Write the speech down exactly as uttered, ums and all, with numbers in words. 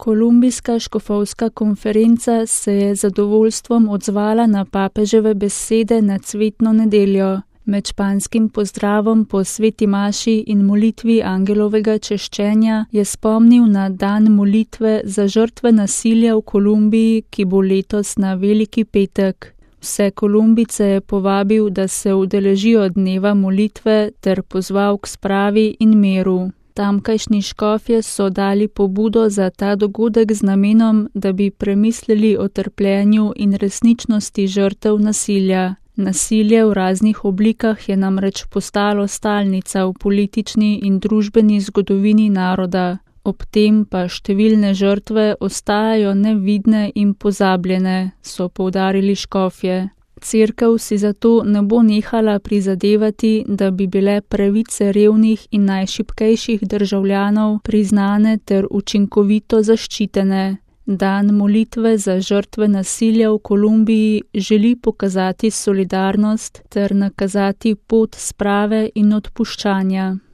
Kolumbijska škofovska konferenca se je z zadovoljstvom odzvala na papeževe besede na cvetno nedeljo. Med španskim pozdravom po sveti maši in molitvi angelovega češčenja je spomnil na dan molitve za žrtve nasilja v Kolumbiji, ki bo letos na Veliki petek. Vse Kolumbijce je povabil, da se udeležijo dneva molitve ter pozval k spravi in miru. Tamkajšnji škofje so dali pobudo za ta dogodek z namenom, da bi premislili o trpljenju in resničnosti žrtev nasilja. Nasilje v raznih oblikah je namreč postalo stalnica v politični in družbeni zgodovini naroda. Ob tem pa številne žrtve ostajajo nevidne in pozabljene, so poudarili škofje. Cerkev si zato ne bo nehala prizadevati, da bi bile pravice revnih in najšibkejših državljanov priznane ter učinkovito zaščitene. Dan molitve za žrtve nasilja v Kolumbiji želi pokazati solidarnost ter nakazati pot sprave in odpuščanja.